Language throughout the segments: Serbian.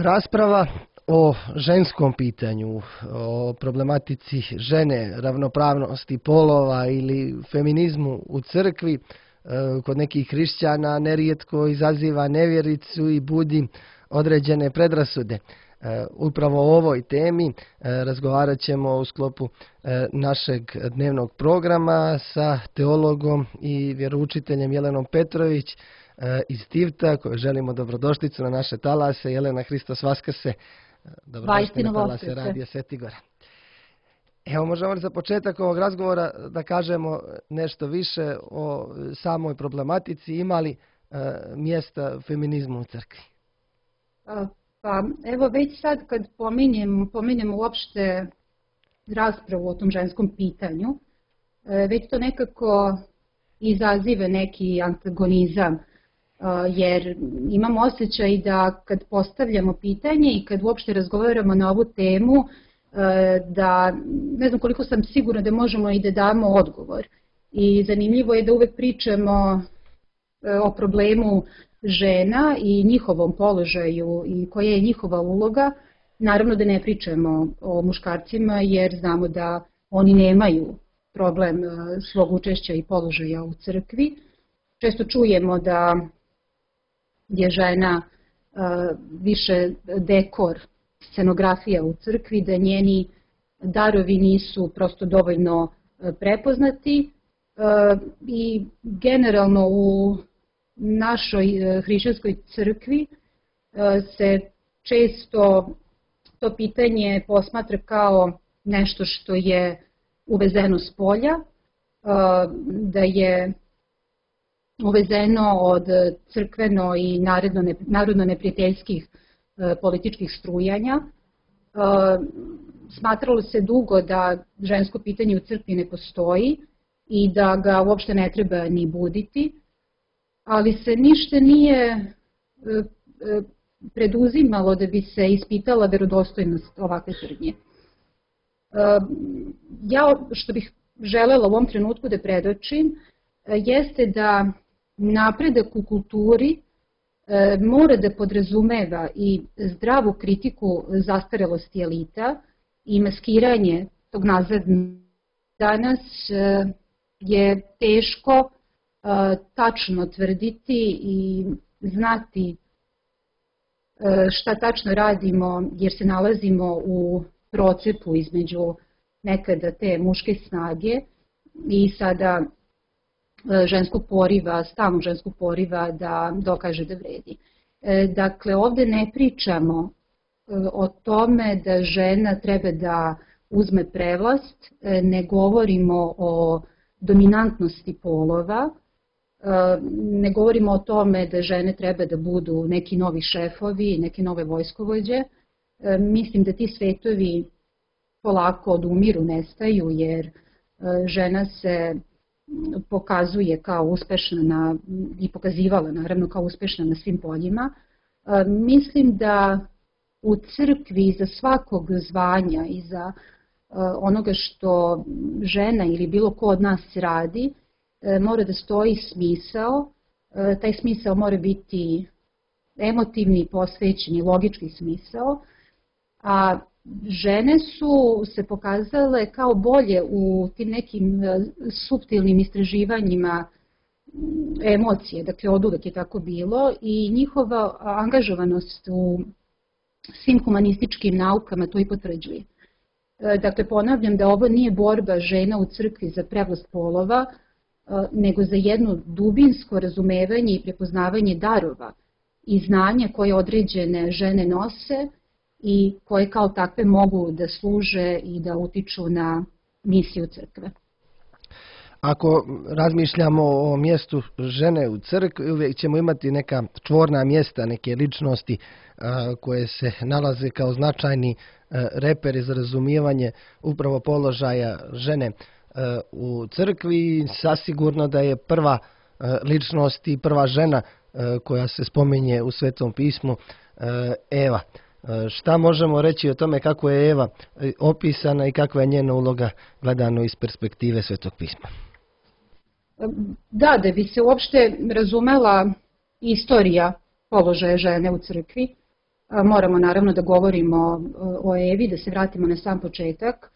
Rasprava o ženskom pitanju, o problematici žene, ravnopravnosti polova ili feminizmu u crkvi kod nekih hrišćana nerijetko izaziva nevjericu i budi određene predrasude. Upravo o ovoj temi razgovarat ćemo u sklopu našeg dnevnog programa sa teologom i vjeroučiteljem Jelenom Petrović iz Tivta, koju želimo dobrodošlicu na naše talase. Jelena, Hristos Vaskrse, dobrodošli na talase Radija Svetigora. Evo, možemo li za početak ovog razgovora da kažemo nešto više o samoj problematici, ima li mjesta feminizmu u crkvi? Pa evo, već sad kad pominjem uopšte raspravu o tom ženskom pitanju, već to nekako izaziva neki antagonizam, jer imam osjećaj da kad postavljamo pitanje i kad uopšte razgovaramo na ovu temu, da ne znam koliko sam sigurna da možemo i da damo odgovor. I zanimljivo je da uvek pričamo o problemu žena i njihovom položaju i koja je njihova uloga. Naravno da ne pričamo o muškarcima jer znamo da oni nemaju problem svog učešća i položaja u crkvi. Često čujemo da je žena više dekor, scenografija u crkvi, da njeni darovi nisu prosto dovoljno prepoznati i generalno u našoj hrišćanskoj crkvi se često to pitanje posmatra kao nešto što je uvezeno s polja, da je uvezeno od crkveno i narodno neprijateljskih političkih strujanja. Smatralo se dugo da žensko pitanje u crkvi ne postoji i da ga uopšte ne treba ni buditi, ali se ništa nije preduzimalo da bi se ispitala verodostojnost ovakve tvrdnje. Ja što bih želela u ovom trenutku da predočim jeste da napredak u kulturi mora da podrazumeva i zdravu kritiku zastarelosti elita i maskiranje tog nazad. Danas je teško tačno tvrditi i znati šta tačno radimo jer se nalazimo u procepu između nekada te muške snage i sada ženskog poriva, stalnog ženskog poriva da dokaže da vredi. Dakle, ovde ne pričamo o tome da žena treba da uzme prevlast, ne govorimo o dominantnosti polova, ne govorimo o tome da žene treba da budu neki novi šefovi, neke nove vojskovođe. Mislim da ti svetovi polako odumiru, nestaju, jer žena se pokazuje kao uspešna i pokazivala naravno kao uspešna na svim poljima. Mislim da u crkvi za svakog zvanja i za onoga što žena ili bilo ko od nas radi, mora da stoji smisao. Taj smisao mora biti emotivni, posvećeni, logički smisao, a žene su se pokazale kao bolje u tim nekim suptilnim istraživanjima emocije, dakle od uvek je tako bilo i njihova angažovanost u svim humanističkim naukama to i potvrđuje. Dakle, ponavljam da ovo nije borba žena u crkvi za prevlast polova, nego za jedno dubinsko razumevanje i prepoznavanje darova i znanja koje određene žene nose i koje kao takve mogu da služe i da utiču na misiju crkve. Ako razmišljamo o mjestu žene u crkvi, uvijek ćemo imati neka čvorna mjesta, neke ličnosti koje se nalaze kao značajni reperi za razumijevanje upravo položaja žene u crkvi. Sasigurno da je prva ličnost i prva žena koja se spominje u Svetom pismu Eva. Šta možemo reći o tome kako je Eva opisana i kakva je njena uloga gledano iz perspektive Svetog pisma? Da bi se uopšte razumela istorija položaja žene u crkvi, Moramo naravno da govorimo o Evi, da se vratimo na sam početak.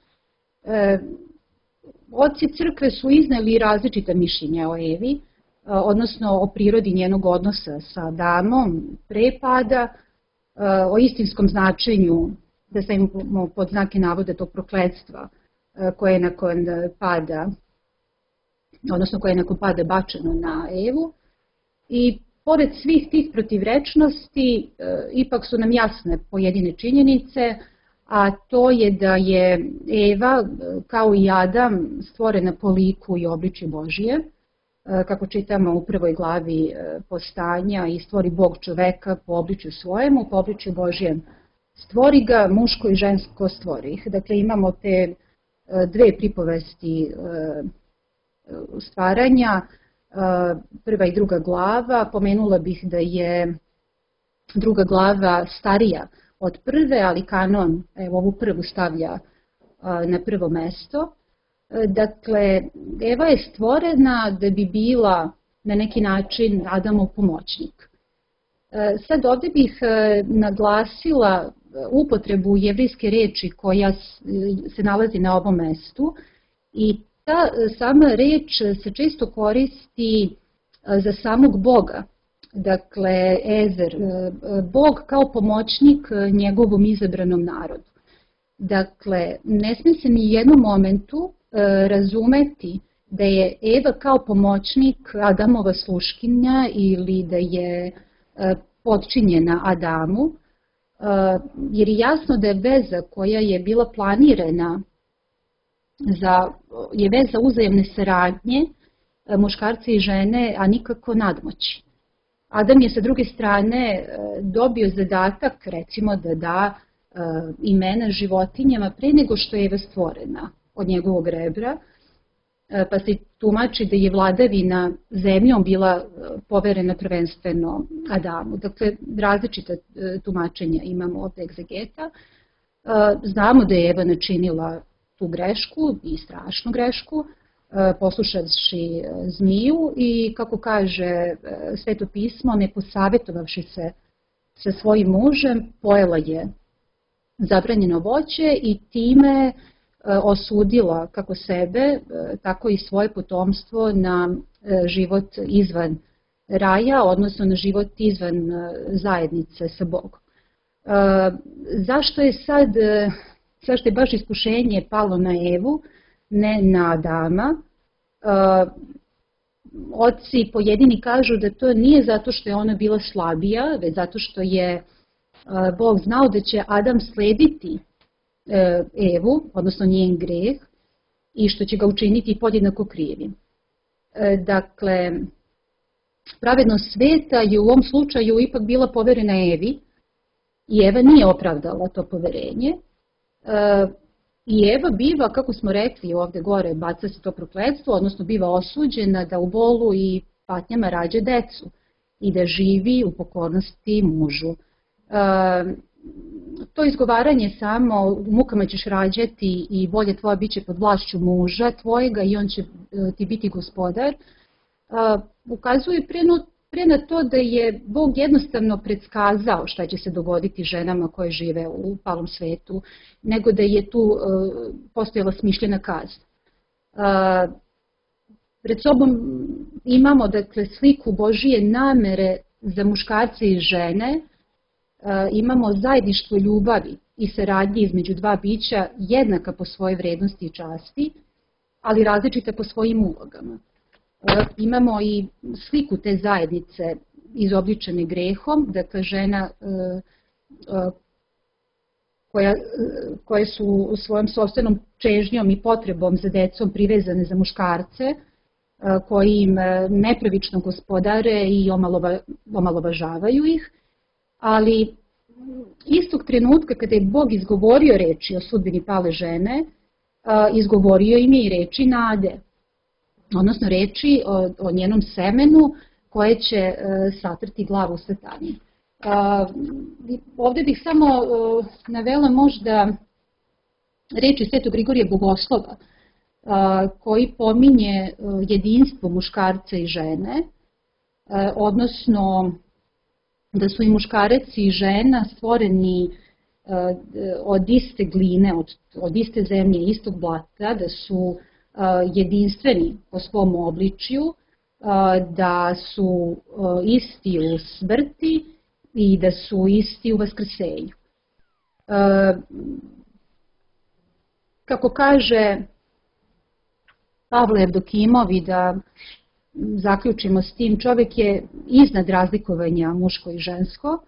Oci crkve su izneli različita mišljenja o Evi, odnosno o prirodi njenog odnosa sa Adamom pre pada, o istinskom značenju, da stavimo pod znake navoda, tog prokletstva koje je nakon pada, odnosno koje je nakon pada bačeno na Evu. I pored svih tih protivrečnosti, ipak su nam jasne pojedine činjenice, a to je da je Eva, kao i Adam, stvorena po liku i obličju Božije, kako čitamo u prvoj glavi Postanja, i stvori Bog čoveka po obličju svojemu, po obličju Božijem stvori ga, muško i žensko stvori ih. Dakle, imamo te dve pripovesti stvaranja, prva i druga glava. Pomenula bih da je druga glava starija od prve, ali kanon ovu prvu stavlja na prvo mesto. Dakle, Eva je stvorena da bi bila na neki način Adamov pomoćnik. Sad ovdje bih naglasila upotrebu jevrijske reči koja se nalazi na ovom mestu, i ta sama reč se često koristi za samog Boga. Dakle, Ezer, Bog kao pomoćnik njegovom izabranom narodu. Dakle, ne smije se ni u jednom momentu razumeti da je Eva kao pomoćnik Adamova sluškinja ili da je potčinjena Adamu, jer je jasno da je veza koja je bila planirana je veza uzajamne saradnje muškarca i žene, a nikako nadmoći. Adam je sa druge strane dobio zadatak, recimo, da da imena životinjama pre nego što je Eva stvorena od njegovog rebra, pa se tumači da je vladavina zemljom bila poverena prvenstveno Adamu. Dakle, različita tumačenja imamo od egzegeta. Znamo da je Eva načinila tu grešku, i strašnu grešku, poslušavši zmiju i, kako kaže Sveto pismo, ne posavjetovavši se sa svojim mužem, pojela je zabranjeno voće i time osudila kako sebe, tako i svoje potomstvo na život izvan raja, odnosno na život izvan zajednice sa Bogom. Zašto je baš iskušenje palo na Evu, ne na Adama? Oci pojedini kažu da to nije zato što je ona bila slabija, već zato što je Bog znao da će Adam slediti Evu, odnosno njen greh, i što će ga učiniti podjednako krivim. Dakle, pravednost sveta je u ovom slučaju ipak bila poverena Evi i Eva nije opravdala to poverenje. I Eva biva, kako smo rekli ovdje gore, baca se to prokletstvo, odnosno biva osuđena da u bolu i patnjama rađa decu i da živi u pokornosti mužu. To izgovaranje samo u mukama ćeš rađati i volja tvoja bit će pod vlašću muža tvojega i on će ti biti gospodar, ukazuje pre na to da je Bog jednostavno predskazao šta će se dogoditi ženama koje žive u palom svetu, nego da je tu postojala smišljena kazna. Pred sobom imamo, dakle, sliku Božije namere za muškarce i žene, imamo zajedništvo ljubavi i saradnje između dva bića jednaka po svojoj vrednosti i časti, ali različita po svojim ulogama. Imamo i sliku te zajednice izobličene grehom, dakle žena koje su u svojom sopstvenom čežnjom i potrebom za decom privezane za muškarce, koji im nepravično gospodare i omalovažavaju ih, ali istog trenutka kada je Bog izgovorio reči o sudbini pale žene, izgovorio im je i reči nade, odnosno reči o njenom semenu koje će satrti glavu Satani. Ovdje bih samo navela možda reči Svetog Grigorija Bogoslova, koji pominje jedinstvo muškarca i žene, odnosno da su i muškarac i žena stvoreni od iste gline, od iste zemlje, istog blata, da su jedinstveni po svom obličju, da su isti u smrti i da su isti u vaskrsenju. Kako kaže Pavle Evdokimov, i da zaključimo s tim, čovjek je iznad razlikovanja muško i žensko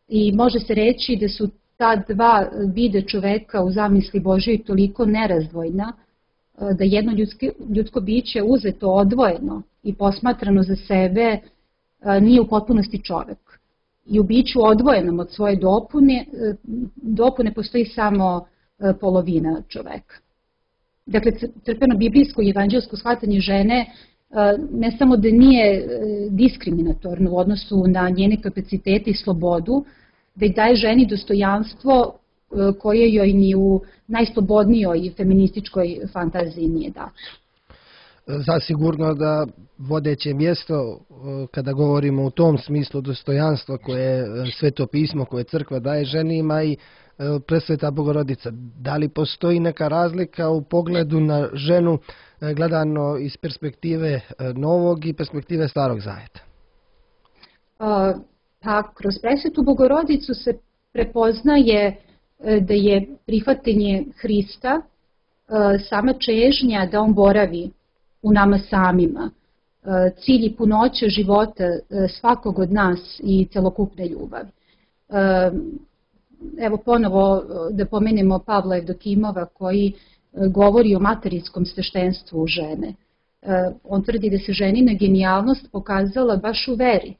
i može se reći da su ta dva vida čoveka u zamisli Božjoj toliko nerazdvojna da jedno ljudsko biće uzeto odvojeno i posmatrano za sebe nije u potpunosti čovek. I u biću odvojenom od svoje dopune postoji samo polovina čoveka. Dakle, crkveno biblijsko i evanđelsko shvatanje žene ne samo da nije diskriminatorno u odnosu na njene kapacitete i slobodu, već daje ženi dostojanstvo koje joj ni u najslobodnijoj feminističkoj fantaziji nije dato. Zasigurno da vodeće mjesto kada govorimo u tom smislu dostojanstva koje Sveto pismo, koje crkva daje ženi, ima i Presveta Bogorodica. Da li postoji neka razlika u pogledu na ženu gledano iz perspektive Novog i perspektive Starog Zaveta? Pa kroz Presvetu Bogorodicu se prepoznaje da je prihvatanje Hrista sama čežnja da on boravi u nama samima, cilj i punoća života svakog od nas i celokupne ljubavi. Evo ponovo da pomenemo Pavla Evdokimova koji govori o materinskom sveštenstvu žene. On tvrdi da se ženina genijalnost pokazala baš u veri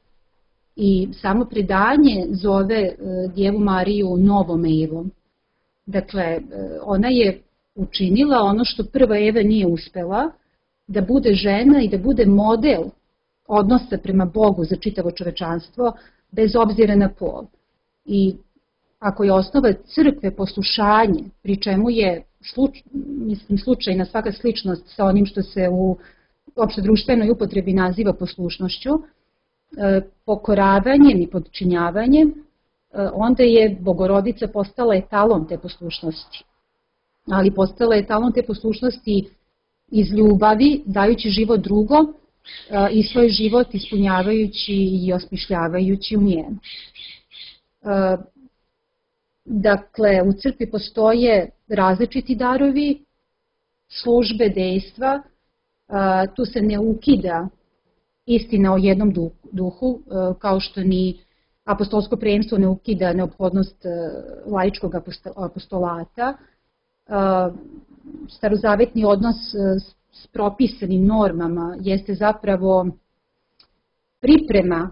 i samo predanje zove Djevu Mariju novom Evom. Dakle, ona je učinila ono što prva Eva nije uspela, da bude žena i da bude model odnosa prema Bogu za čitavo čovečanstvo, bez obzira na pol. I ako je osnova crkve poslušanje, pri čemu je slučajna svaka sličnost sa onim što se u opštedruštvenoj upotrebi naziva poslušnošću, pokoravanjem i podčinjavanjem, onda je Bogorodica postala etalon te poslušnosti. Ali postala je etalon te poslušnosti iz ljubavi, dajući život drugom i svoj život ispunjavajući i osmišljavajući u njemu. Dakle, u crkvi postoje različiti darovi, službe, dejstva, tu se ne ukida istina o jednom duhu, kao što ni apostolsko prvenstvo ne ukida neophodnost laičkog apostolata. Starozavetni odnos s propisanim normama jeste zapravo priprema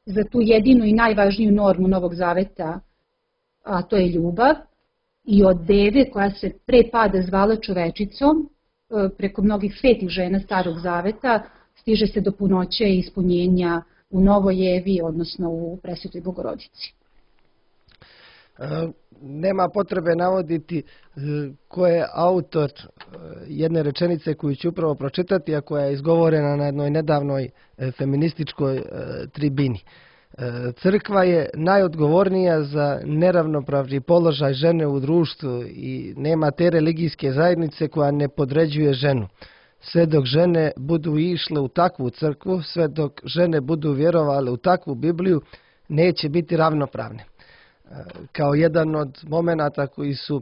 za tu jedinu i najvažniju normu Novog Zaveta, a to je ljubav, i od deve koja se pre pada zvala čovečicom, preko mnogih svetih žena Starog Zaveta, stiže se do punoće i ispunjenja u Novoj Evi, odnosno u Presvetoj Bogorodici. Nema potrebe navoditi ko je autor jedne rečenice koju ću upravo pročitati, a koja je izgovorena na jednoj nedavnoj feminističkoj tribini. Crkva je najodgovornija za neravnopravni položaj žene u društvu i nema te religijske zajednice koja ne podređuje ženu. Sve dok žene budu išle u takvu crkvu, sve dok žene budu vjerovale u takvu Bibliju, neće biti ravnopravne. Kao jedan od momenata koji su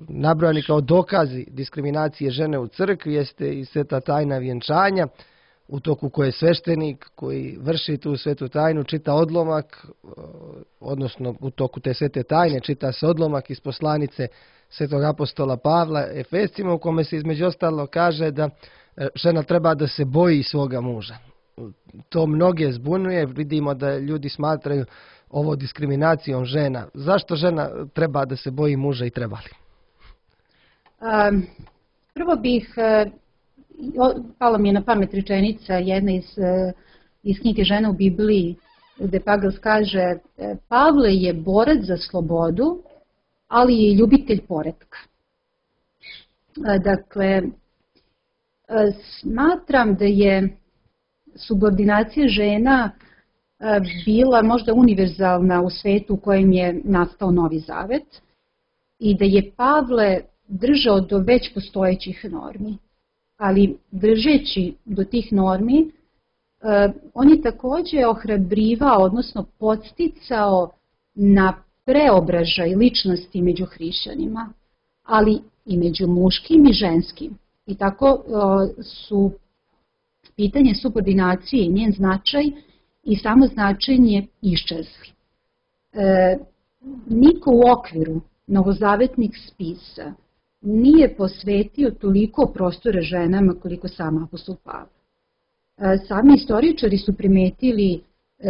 nabrojani kao dokazi diskriminacije žene u crkvi jeste i sveta tajna vjenčanja, u toku koje sveštenik koji vrši tu svetu tajnu čita odlomak, odnosno u toku te svete tajne čita se odlomak iz poslanice svetog apostola Pavla Efescima, u kome se između ostalo kaže da žena treba da se boji svoga muža. To mnoge zbunjuje, vidimo da ljudi smatraju ovo diskriminacijom žena. Zašto žena treba da se boji muža i treba li? Prvo bih, pala mi je na pamet rečenica jedna iz knjige Žena u Bibliji, gde Pagels kaže: Pavle je borac za slobodu, ali je ljubitelj poretka. Dakle, smatram da je subordinacija žena bila možda univerzalna u svetu u kojem je nastao Novi Zavet i da je Pavle držao do već postojećih normi, ali držeći do tih normi, on je takođe ohrabrivao, odnosno podsticao na preobražaj ličnosti među hrišćanima, ali i među muškim i ženskim. I tako su pitanje subordinacije i njen značaj i samo značenje iščezli. Niko u okviru novozavetnih spisa nije posvetio toliko prostora ženama koliko sam apostol Pavle. Sami istoričari su primetili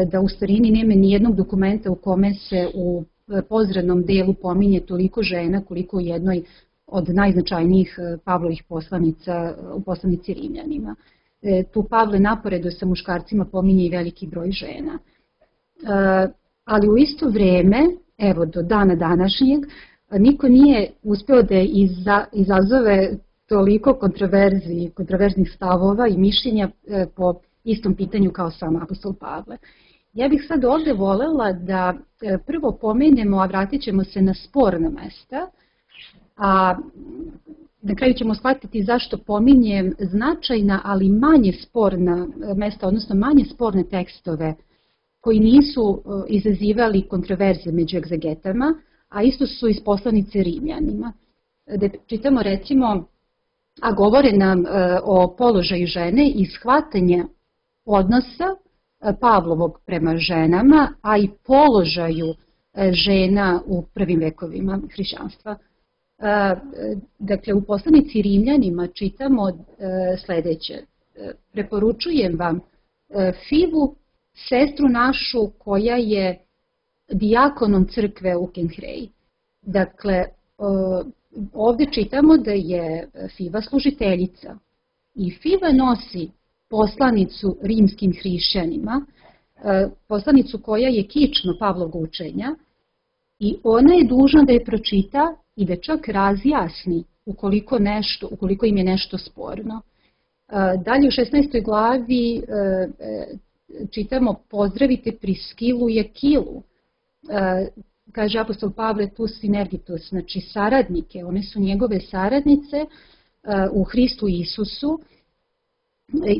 da u starini nema nijednog dokumenta u kome se u pozrednom delu pominje toliko žena koliko u jednoj od najznačajnijih Pavlovih poslanica u poslanici Rimljanima. Tu Pavle naporedo sa muškarcima pominje i veliki broj žena. Ali u isto vreme, evo do dana današnjeg, niko nije uspeo da izazove toliko kontroverznih stavova i mišljenja po istom pitanju kao sam apostol Pavle. Ja bih sad ovde volela da prvo pomenemo, a vratit ćemo se na sporna mesta, a na kraju ćemo shvatiti zašto pominjem značajna, ali manje sporna mesta, odnosno manje sporne tekstove koji nisu izazivali kontroverze među egzegetama, a isto su iz poslanice Rimljanima. Da čitamo recimo, a govore nam o položaju žene i shvatanja odnosa Pavlovog prema ženama, a i položaju žena u prvim vekovima hrišćanstva. Dakle, u poslanici Rimljanima čitamo sledeće. Preporučujem vam Fivu, sestru našu koja je dijakonom crkve u Kenhreji. Dakle, ovde čitamo da je Fiva služiteljica i Fiva nosi poslanicu rimskim hrišćanima, poslanicu koja je kično Pavlovog učenja i ona je dužna da je pročita i da čak razjasni ukoliko im je nešto sporno. Dalje u 16. glavi čitamo pozdravite Priskilu i Akilu. Kaže apostol Pavle tu sinergitus, znači saradnike, one su njegove saradnice u Hristu Isusu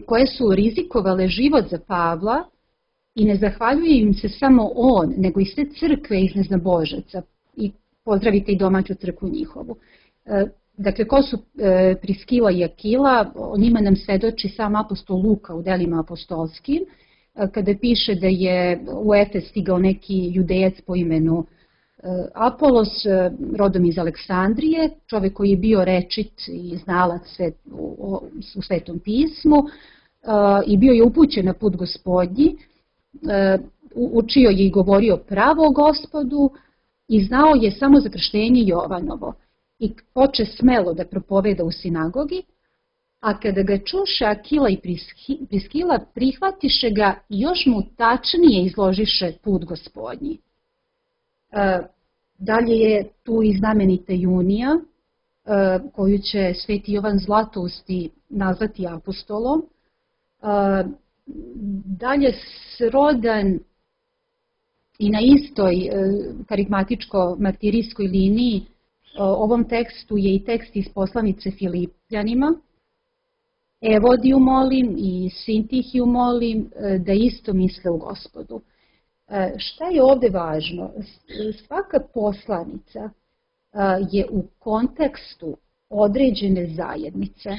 koje su rizikovale život za Pavla i ne zahvaljuje im se samo on, nego i sve crkve iz neznabožaca i pozdravite i domaću crkvu njihovu. Dakle, ko su Priskila i Akila, o njima nam svedoči sam apostol Luka u delima apostolskim, kada piše da je u Efes stigao neki judejac po imenu Apolos, rodom iz Aleksandrije, čovek koji je bio rečit i znalac u Svetom pismu i bio je upućen na put Gospodnji, učio je i govorio pravo o Gospodu i znao je samo za krštenje Jovanovo i poče smelo da propoveda u sinagogi, a kada ga čuše Akila i Priskila, prihvatiše ga i još mu tačnije izložiše put Gospodnji. Dalje je tu i znamenita Junija, koju će sveti Jovan Zlatousti nazvati apostolom. Dalje srodan i na istoj karigmatičko-martirijskoj liniji ovom tekstu je i tekst iz poslanice Filipljanima. Evodiju molim i Sintihiju molim da isto misle u Gospodu. Šta je ovde važno? Svaka poslanica je u kontekstu određene zajednice.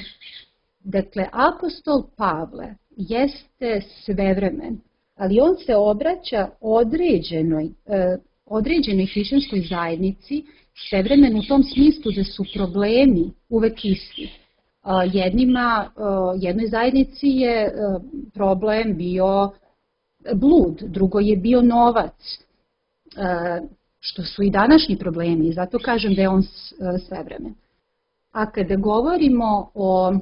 Dakle, apostol Pavle jeste svevremen, ali on se obraća određenoj hrišćanskoj zajednici, svevremen u tom smislu da su problemi uvek isti. Jednoj zajednici je problem bio blud, drugo je bio novac, što su i današnji problemi i zato kažem da je on svevremen. A kada govorimo o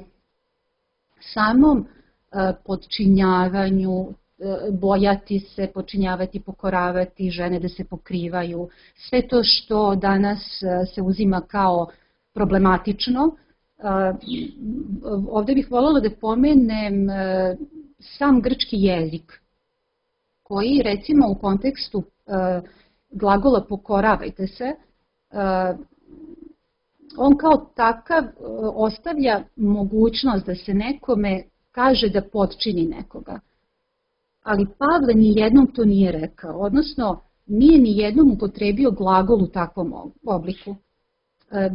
samom podčinjavanju, bojati se, podčinjavati, pokoravati, žene da se pokrivaju, sve to što danas se uzima kao problematično, ovde bih voljela da pomenem sam grčki jezik koji recimo u kontekstu glagola pokoravajte se, on kao takav ostavlja mogućnost da se nekome kaže da potčini nekoga. Ali Pavle nijednom to nije rekao, odnosno nije nijednom upotrebio glagol u takvom obliku.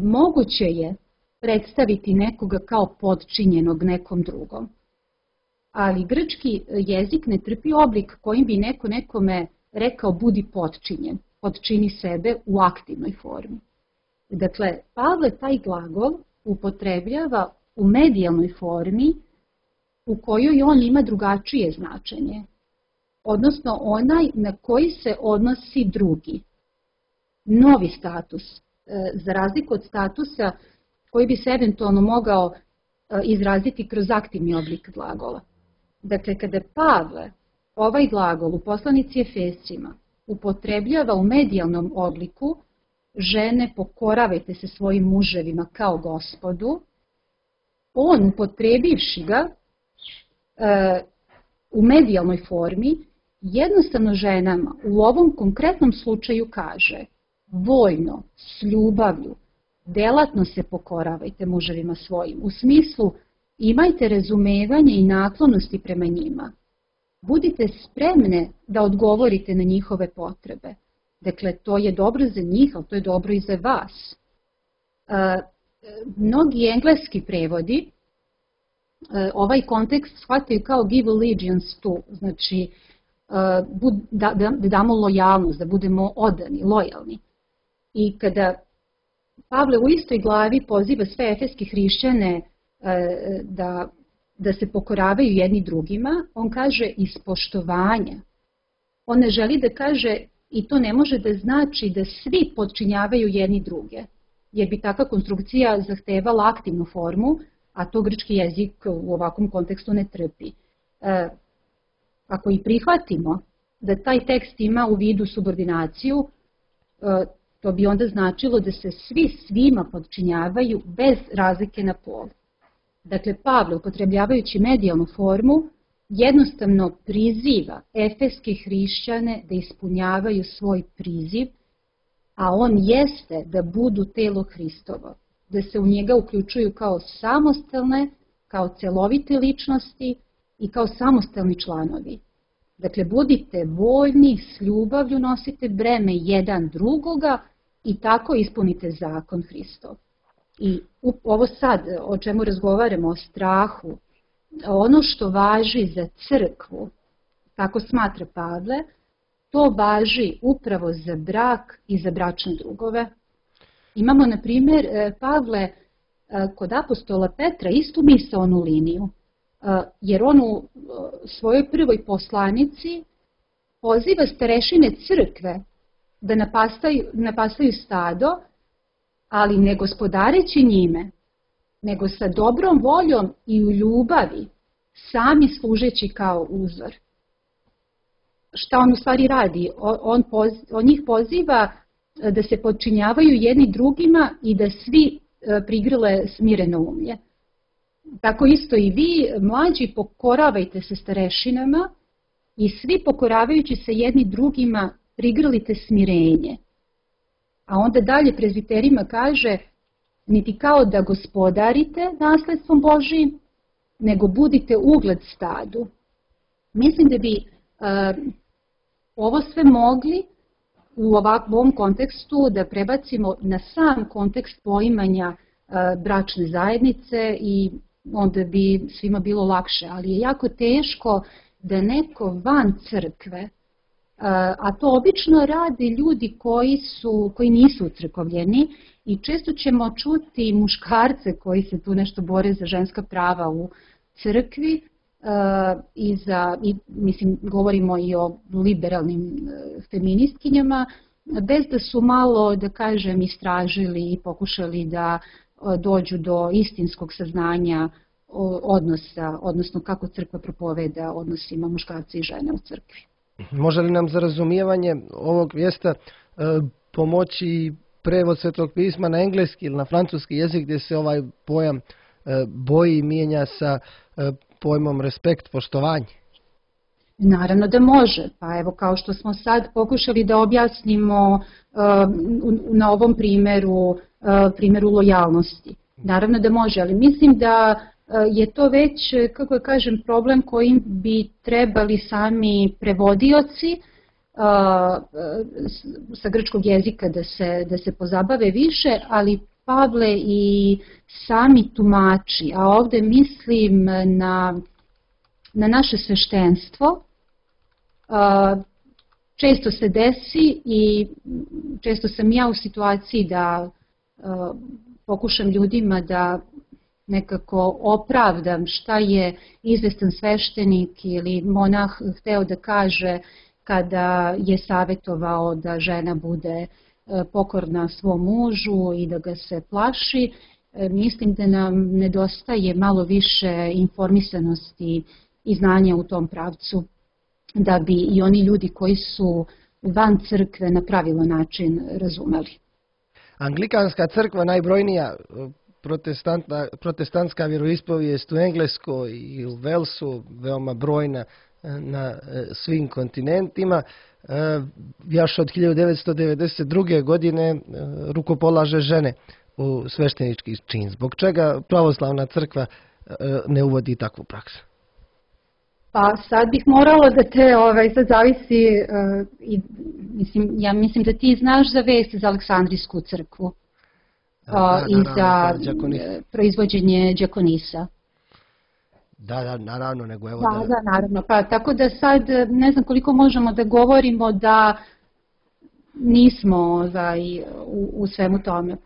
Moguće je predstaviti nekoga kao potčinjenog nekom drugom, ali grčki jezik ne trpi oblik kojim bi neko nekome rekao budi potčinjen, potčini sebe u aktivnoj formi. Dakle, Pavle taj glagol upotrebljava u medijalnoj formi u kojoj on ima drugačije značenje, odnosno onaj na koji se odnosi drugi, novi status, za razliku od statusa koji bi se eventualno mogao izraziti kroz aktivni oblik glagola. Dakle, kada Pavle ovaj glagol u poslanici Efescima upotrebljava u medijalnom obliku, žene pokoravajte se svojim muževima kao Gospodu, on upotrebivši ga u medijalnoj formi, jednostavno ženama u ovom konkretnom slučaju kaže voljno, s ljubavlju, delatno se pokoravajte muževima svojim, u smislu imajte razumevanje i naklonosti prema njima. Budite spremne da odgovorite na njihove potrebe. Dakle, to je dobro za njih, ali to je dobro i za vas. Mnogi engleski prevodi ovaj kontekst shvataju kao give allegiance to, znači da damo lojalnost, da budemo odani, lojalni. I kada Pavle u istoj glavi poziva sve efeske hrišćane da se pokoravaju jedni drugima, on kaže iz poštovanja. On ne želi da kaže, i to ne može da znači da svi podčinjavaju jedni druge, jer bi takva konstrukcija zahtevala aktivnu formu, a to grčki jezik u ovakvom kontekstu ne trpi. Ako i prihvatimo da taj tekst ima u vidu subordinaciju, to bi onda značilo da se svi svima podčinjavaju bez razlike na pol. Dakle, Pavle, upotrebljavajući medijalnu formu, jednostavno priziva efeske hrišćane da ispunjavaju svoj priziv, a on jeste da budu telo Hristovo, da se u njega uključuju kao samostalne, kao celovite ličnosti i kao samostalni članovi. Dakle, budite voljni, s ljubavlju nosite breme jedan drugoga i tako ispunite zakon Hristov. I ovo sad o čemu razgovaramo, o strahu, ono što važi za crkvu, tako smatra Pavle, to važi upravo za brak i za bračne drugove. Imamo, na primjer, Pavle kod apostola Petra istu misaonu liniju, jer on u svojoj prvoj poslanici poziva starešine crkve da napastaju stado, ali ne gospodareći njime, nego sa dobrom voljom i u ljubavi, sami služeći kao uzor. Šta on u stvari radi? On njih poziva da se podčinjavaju jedni drugima i da svi prigrle smireno umlje. Tako isto i vi, mlađi, pokoravajte se starešinama i svi pokoravajući se jedni drugima prigrlite smirenje. A onda dalje prezbiterima kaže, niti kao da gospodarite nasledstvom Božijim, nego budite ugled stadu. Mislim da bi ovo sve mogli u ovom kontekstu da prebacimo na sam kontekst poimanja bračne zajednice i onda bi svima bilo lakše, ali je jako teško da neko van crkve, a to obično rade ljudi koji nisu ucrkovljeni i često ćemo čuti muškarce koji se tu nešto bore za ženska prava u crkvi mislim govorimo i o liberalnim feministkinjama, bez da su malo, da kažem, istražili i pokušali da dođu do istinskog saznanja odnosa, odnosno kako crkva propoveda odnosima muškarca i žene u crkvi. Može li nam za razumijevanje ovog mjesta pomoći prevod Svetog pisma na engleski ili na francuski jezik gdje se ovaj pojam boji mijenja sa pojmom respekt, poštovanje? Naravno da može, pa evo kao što smo sad pokušali da objasnimo na ovom primjeru lojalnosti. Naravno da može, ali mislim da je to već, kako da kažem, problem kojim bi trebali sami prevodioci sa grčkog jezika da se pozabave više, ali Pavle i sami tumači, a ovde mislim na naše sveštenstvo, često se desi i često sam ja u situaciji da pokušam ljudima da nekako opravdam šta je izvestan sveštenik ili monah hteo da kaže kada je savjetovao da žena bude pokorna svom mužu i da ga se plaši. Mislim da nam nedostaje malo više informisanosti i znanja u tom pravcu, da bi i oni ljudi koji su van crkve na pravilan način razumeli. Anglikanska crkva, najbrojnija protestantska vjeroispovijest u Engleskoj i u Velsu, veoma brojna na svim kontinentima, još od 1992. godine rukopolaže žene u sveštenički čin. Zbog čega pravoslavna crkva ne uvodi takvu praksu? Pa sad bih morala da te, sad zavisi, ja mislim da ti znaš za vest za Aleksandrijsku crkvu i za proizvođenje đakonisa. Da, naravno, nego evo da... Da, naravno, pa tako da sad ne znam koliko možemo da govorimo da nismo u svemu tome.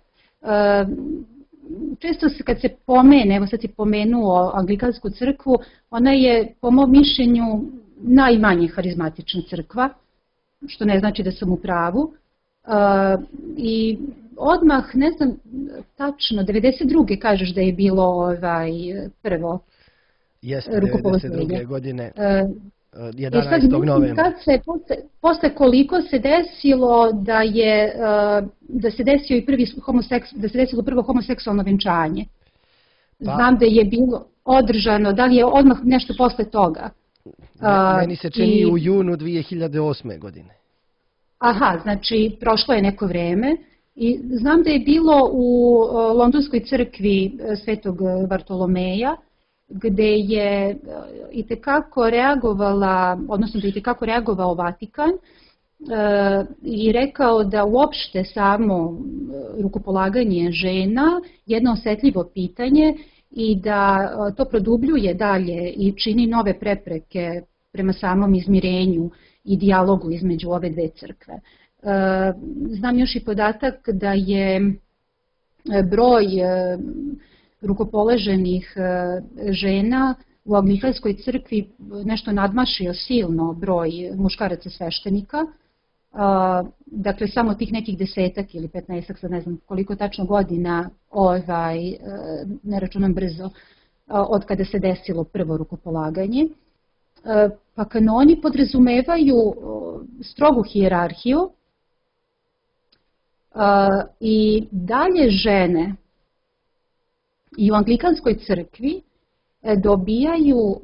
Često se kad se pomene, evo sad si pomenuo Anglikansku crkvu, ona je po mom mišljenju najmanje harizmatična crkva, što ne znači da sam u pravu. I odmah, ne znam tačno, 92. kažeš da je bilo prvo rukopoloženje. Jeste, 92. godine, 11. novembra. Posle koliko se desilo da se desilo prvo homoseksualno venčanje. Znam da je bilo održano, da li je odmah nešto posle toga? Meni se čini u junu 2008. godine. Aha, znači prošlo je neko vreme i znam da je bilo u Londonskoj crkvi Svetog Bartolomeja, gde je itekako reagovala, odnosno da je itekako reagovao Vatikan i rekao da uopšte samo rukopolaganje žena jedno osetljivo pitanje i da to produbljuje dalje i čini nove prepreke prema samom izmirenju i dijalogu između ove dve crkve. Znam još i podatak da je broj rukopoloženih žena u Anglikanskoj crkvi nešto nadmašio silno broj muškaraca sveštenika. Dakle, samo tih nekih 10 ili 15, sad ne znam koliko tačno godina, ne računam brzo, od kada se desilo prvo rukopolaganje. Pa kanoni podrazumevaju strogu hijerarhiju i dalje žene i u Anglikanskoj crkvi dobijaju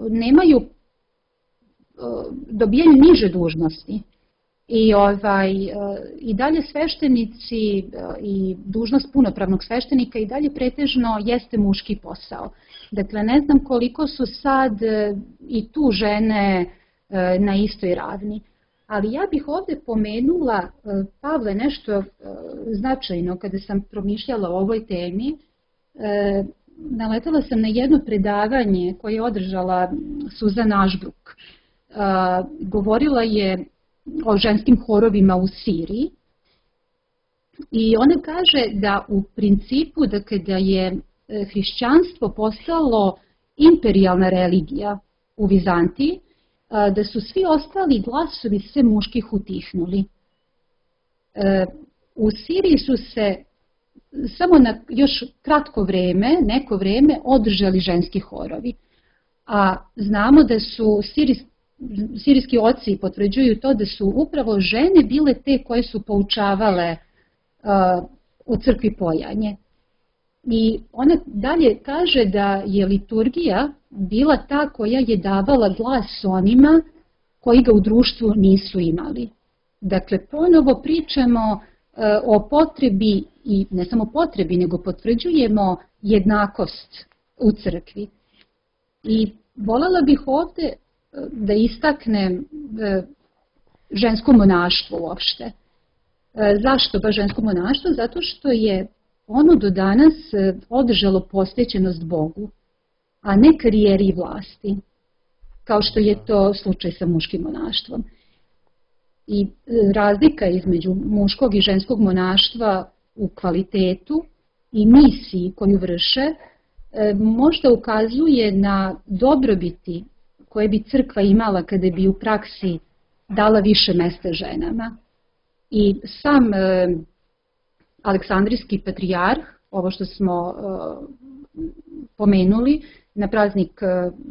niže dužnosti i dalje sveštenici i dužnost punopravnog sveštenika i dalje pretežno jeste muški posao. Dakle, ne znam koliko su sad i tu žene na istoj ravni. Ali ja bih ovde pomenula, Pavle, nešto značajno kada sam promišljala o ovoj temi. Naletela sam na jedno predavanje koje je održala Suzan Ashbrook. Govorila je o ženskim horovima u Siriji i ona kaže da u principu da kada je hrišćanstvo postalo imperijalna religija u Vizantiji, da su svi ostali glasovi sve muških utihnuli. U Siriji su se samo na još kratko vreme, neko vreme, održali ženski horovi. A znamo da su sirijski oci potvrđuju to da su upravo žene bile te koje su poučavale u crkvi pojanje. I ona dalje kaže da je liturgija bila ta koja je davala glas onima koji ga u društvu nisu imali. Dakle, ponovo pričamo o potrebi i ne samo potrebi, nego potvrđujemo jednakost u crkvi. I voljela bih ovde da istaknem žensko monaštvo uopšte. Zašto baš žensko monaštvo? Zato što je ono do danas održalo posvećenost Bogu, a ne karijeri i vlasti, kao što je to slučaj sa muškim monaštvom. I razlika između muškog i ženskog monaštva u kvalitetu i misiji koju vrše možda ukazuje na dobrobiti koje bi crkva imala kada bi u praksi dala više mesta ženama. I sam Aleksandrijski patrijarh, ovo što smo pomenuli, na praznik,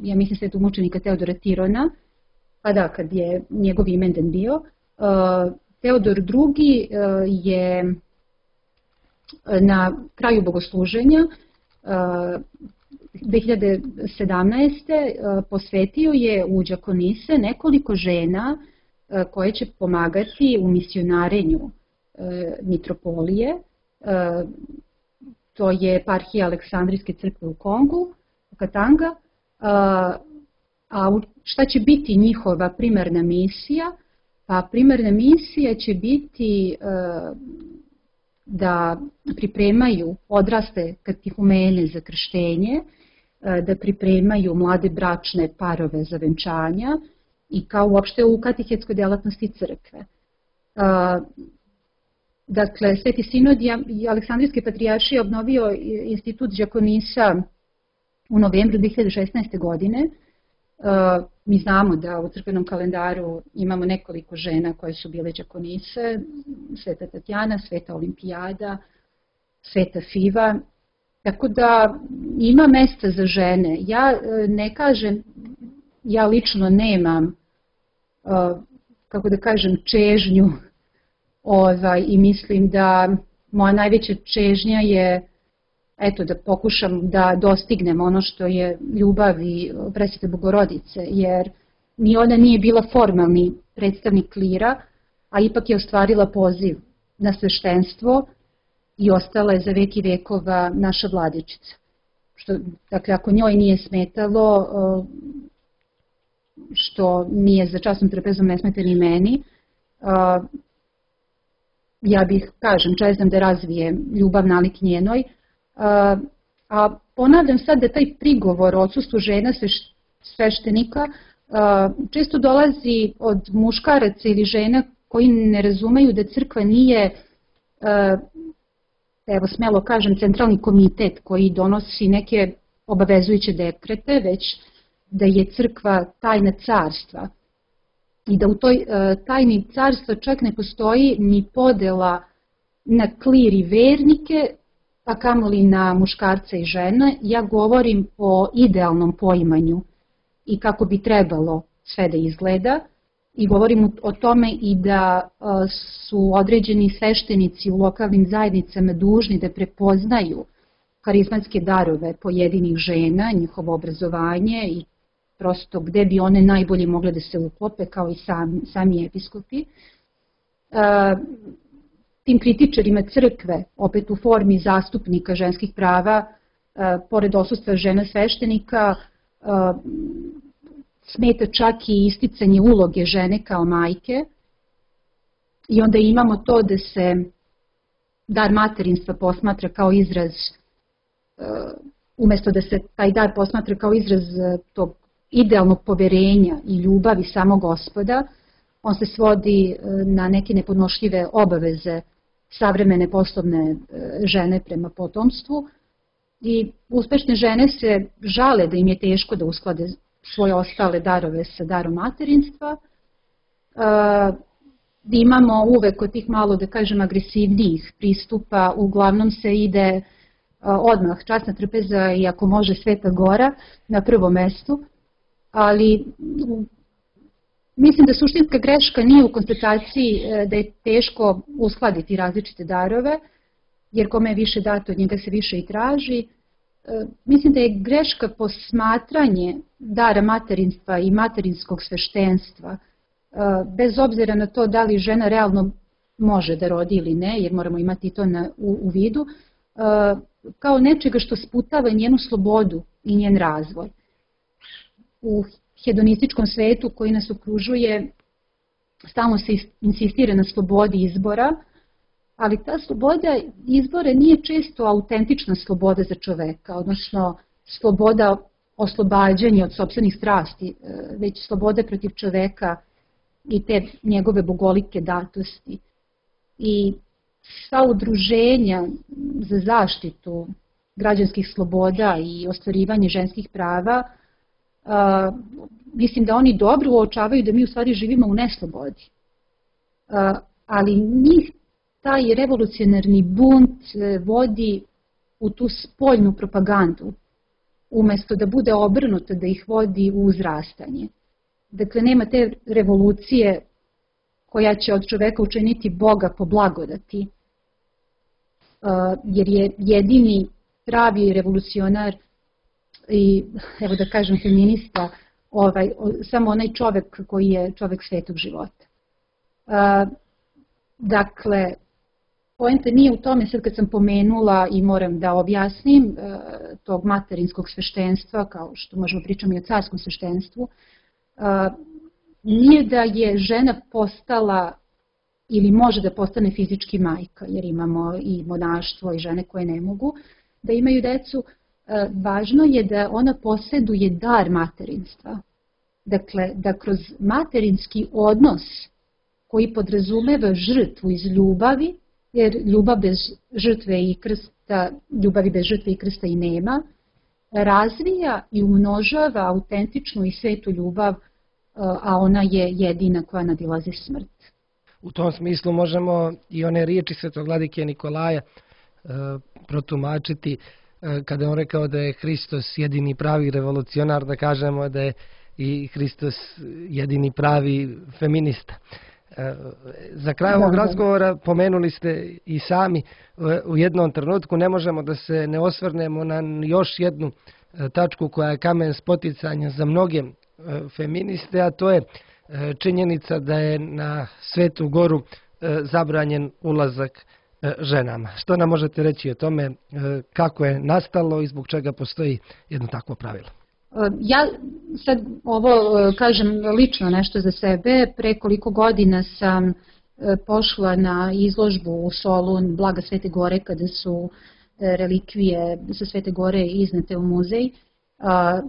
ja mislim, svetog mučenika Teodora Tirona, pa da, kad je njegov imendan bio, Teodor II je na kraju bogosluženja 2017. posvetio je u đakonise nekoliko žena koje će pomagati u misionarenju mitropolije. To je eparhija Aleksandrijske crkve u Kongu, Katanga. A šta će biti njihova primarna misija? Pa primarna misija će biti da pripremaju odrasle katehumene za krštenje, da pripremaju mlade bračne parove za venčanja i kao uopšte u katehetskoj delatnosti crkve. Dakle, Sveti sinod i Aleksandrijske patrijaršije obnovio institut đakonisa u novembru 2016. godine. Mi znamo da u crkvenom kalendaru imamo nekoliko žena koje su bile đakonise, Sveta Tatjana, Sveta Olimpijada, Sveta Fiva, tako da ima mesta za žene. Ja ne kažem, ja lično nemam, kako da kažem, čežnju i mislim da moja najveća čežnja je da pokušam da dostignem ono što je ljubav i Presvete Bogorodice, jer ni ona nije bila formalni predstavnik klira, a ipak je ostvarila poziv na sveštenstvo i ostala je za vek i vekova naša vladičica. Dakle, ako njoj nije smetalo, što nije za časnom trapezom ne smeta ni meni, ja bih, čezam da razvije ljubav nalik njenoj. A ponavljam sad da taj prigovor o odsustvu žena sveštenika često dolazi od muškaraca ili žena koji ne razumeju da crkva nije, evo smelo kažem, centralni komitet koji donosi neke obavezujuće dekrete, već da je crkva tajna carstva i da u toj tajni carstva čak ne postoji ni podela na klir i vernike, pa kamoli na muškarca i žene. Ja govorim o idealnom poimanju i kako bi trebalo sve da izgleda i govorim o tome i da su određeni sveštenici u lokalnim zajednicama dužni da prepoznaju harizmatske darove pojedinih žena, njihovo obrazovanje i prosto gde bi one najbolje mogle da se uklope kao i sami episkopi. Tim kritičarima crkve, opet u formi zastupnika ženskih prava, pored odsustva žena sveštenika, smeta čak i isticanje uloge žene kao majke i onda imamo to da se dar materinstva posmatra kao izraz, umesto da se taj dar posmatra kao izraz tog idealnog poverenja i ljubavi samog Gospoda, on se svodi na neke nepodnošljive obaveze savremene poslovne žene prema potomstvu i uspešne žene se žale da im je teško da usklade svoje ostale darove sa darom materinstva. Imamo uvek od tih malo, da kažem, agresivnijih pristupa, uglavnom se ide odmah časna trpeza i ako može Sveta Gora na prvom mestu, ali mislim da suštinska greška nije u konstataciji da je teško uskladiti različite darove, jer kome je više dato, od njega se više i traži. Mislim da je greška posmatranje dara materinstva i materinskog sveštenstva bez obzira na to da li žena realno može da rodi ili ne, jer moramo imati to u vidu, kao nečega što sputava njenu slobodu i njen razvoj. U hedonističkom svetu koji nas okružuje stalno se insistira na slobodi izbora, ali ta sloboda izbora nije često autentična sloboda za čoveka, odnosno sloboda oslobađanja od sopstvenih strasti, već sloboda protiv čoveka i te njegove bogolike datosti. I sva udruženja za zaštitu građanskih sloboda i ostvarivanje ženskih prava, mislim da oni dobro uočavaju da mi u stvari živimo u neslobodi. Ali njih taj revolucionarni bunt vodi u tu spoljnu propagandu, umesto da bude obrnuto, da ih vodi u uzrastanje. Dakle, nema te revolucije koja će od čoveka učiniti Boga po blagodati, jer je jedini pravi revolucionar i, evo da kažem, feminista, samo onaj čovek koji je čovek svetog života. Dakle, poenta nije u tome, sad kad sam pomenula i moram da objasnim, tog materinskog sveštenstva, kao što možemo pričati i o carskom sveštenstvu, nije da je žena postala ili može da postane fizički majka, jer imamo i monaštvo i žene koje ne mogu da imaju decu. Važno je da ona poseduje dar materinstva. Dakle, da kroz materinski odnos koji podrazumeva žrtvu iz ljubavi, jer ljubavi bez žrtve i krsta i nema, razvija i umnožava autentičnu i svetu ljubav, a ona je jedina koja nadilazi smrt. U tom smislu možemo i one riječi svetog vladike Nikolaja protumačiti, kada je on rekao da je Hristos jedini pravi revolucionar, da kažemo da je i Hristos jedini pravi feminista. Za kraj ovog razgovora pomenuli ste i sami u jednom trenutku, ne možemo da se ne osvrnemo na još jednu tačku koja je kamen spoticanja za mnoge feministe, a to je činjenica da je na Svetu Goru zabranjen ulazak ženama. Što nam možete reći o tome, kako je nastalo i zbog čega postoji jedno takvo pravilo? Ja sad ovo kažem lično nešto za sebe. Pre koliko godina sam pošla na izložbu u Solun Blaga Svete Gore, kada su relikvije sa Svete Gore iznete u muzej.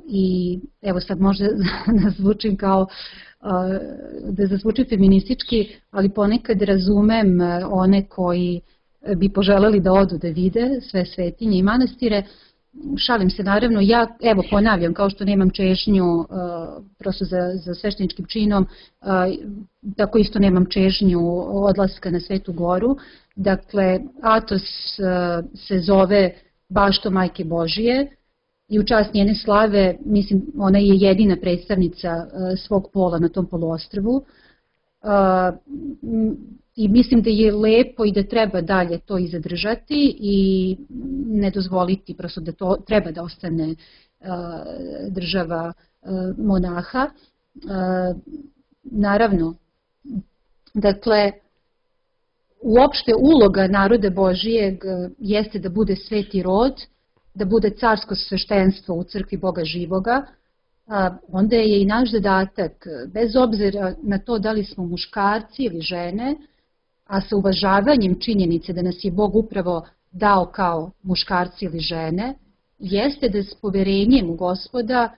I evo sad možda zvučim kao da zazvuči feministički, ali ponekad razumem one koji bi poželeli da odu da vide sve svetinje i manastire. Šalim se naravno, ja evo ponavljam, kao što nemam čežnju prosto za svešteničkim činom, tako isto nemam čežnju odlaska na Svetu Goru. Dakle, Atos se zove Bašto Majke Božije i u čast njene slave, mislim, ona je jedina predstavnica svog pola na tom poluostrvu. I mislim da je lepo i da treba dalje to i zadržati i ne dozvoliti prosto da to treba da ostane država monaha. Naravno, dakle, uopšte uloga naroda Božijeg jeste da bude sveti rod, da bude carsko sveštenstvo u crkvi Boga živoga, onda je i naš zadatak, bez obzira na to da li smo muškarci ili žene, a sa uvažavanjem činjenice da nas je Bog upravo dao kao muškarci ili žene, jeste da s poverenjem u Gospoda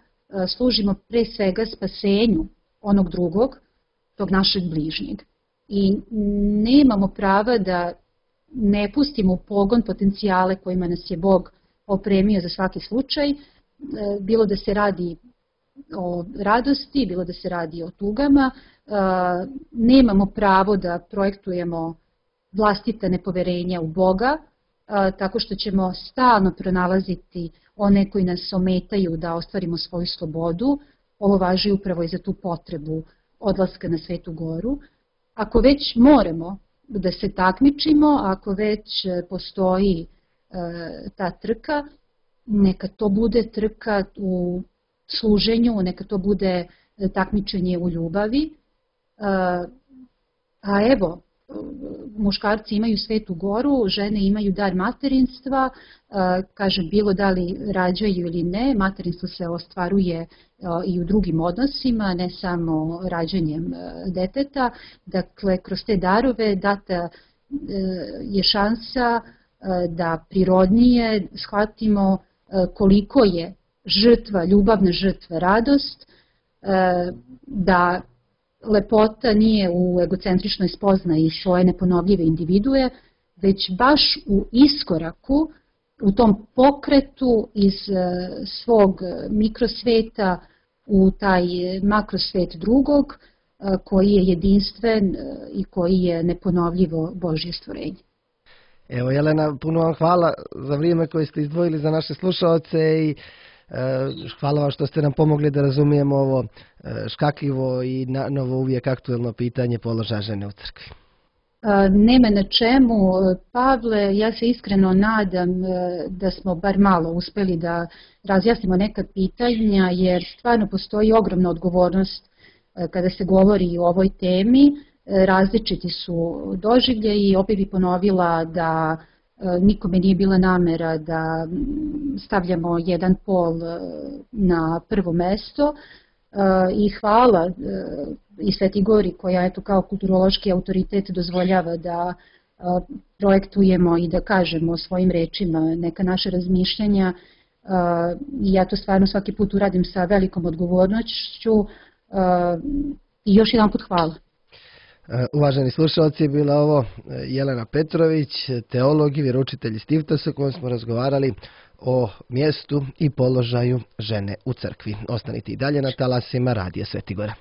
služimo pre svega spasenju onog drugog, tog našeg bližnjeg. I nemamo prava da ne pustimo u pogon potencijale kojima nas je Bog opremio za svaki slučaj, bilo da se radi o radosti, bilo da se radi o tugama. Nemamo pravo da projektujemo vlastita nepoverenja u Boga, tako što ćemo stalno pronalaziti one koji nas ometaju da ostvarimo svoju slobodu. Ovo važi upravo i za tu potrebu odlaska na Svetu Goru. Ako već moramo da se takmičimo, ako već postoji ta trka, neka to bude trka u služenju, neka to bude takmičenje u ljubavi, A evo, muškarci imaju Svetu Goru, žene imaju dar materinstva, kažem, bilo da li rađaju ili ne, materinstvo se ostvaruje i u drugim odnosima, ne samo rađanjem deteta. Dakle, kroz te darove data je šansa da prirodnije shvatimo koliko je žrtva, ljubavna žrtva radost, da lepota nije u egocentričnoj spoznaji svoje neponovljive individue, već baš u iskoraku, u tom pokretu iz svog mikrosveta u taj makrosvet drugog, koji je jedinstven i koji je neponovljivo Božje stvorenje. Evo, Jelena, puno vam hvala za vrijeme koje ste izdvojili za naše slušaoce i hvala vam što ste nam pomogli da razumijemo ovo škakljivo i novo uvijek aktuelno pitanje položaja žene u crkvi. Nema na čemu, Pavle, ja se iskreno nadam da smo bar malo uspjeli da razjasnimo neka pitanja, jer stvarno postoji ogromna odgovornost kada se govori o ovoj temi. Različiti su doživljaji i opet bi ponovila da nikome nije bila namera da stavljamo jedan pol na prvo mesto i hvala i Sveti Gori koja eto kao kulturološki autoritet dozvoljava da projektujemo i da kažemo svojim rečima neka naše razmišljanja i ja to stvarno svaki put uradim sa velikom odgovornošću i još jedan put hvala. Uvaženi slušalci, bila ovo Jelena Petrović, teolog i vjeroučitelj iz Tiftosa, kojom smo razgovarali o mjestu i položaju žene u crkvi. Ostanite i dalje na talasima Radija Sveti Gora.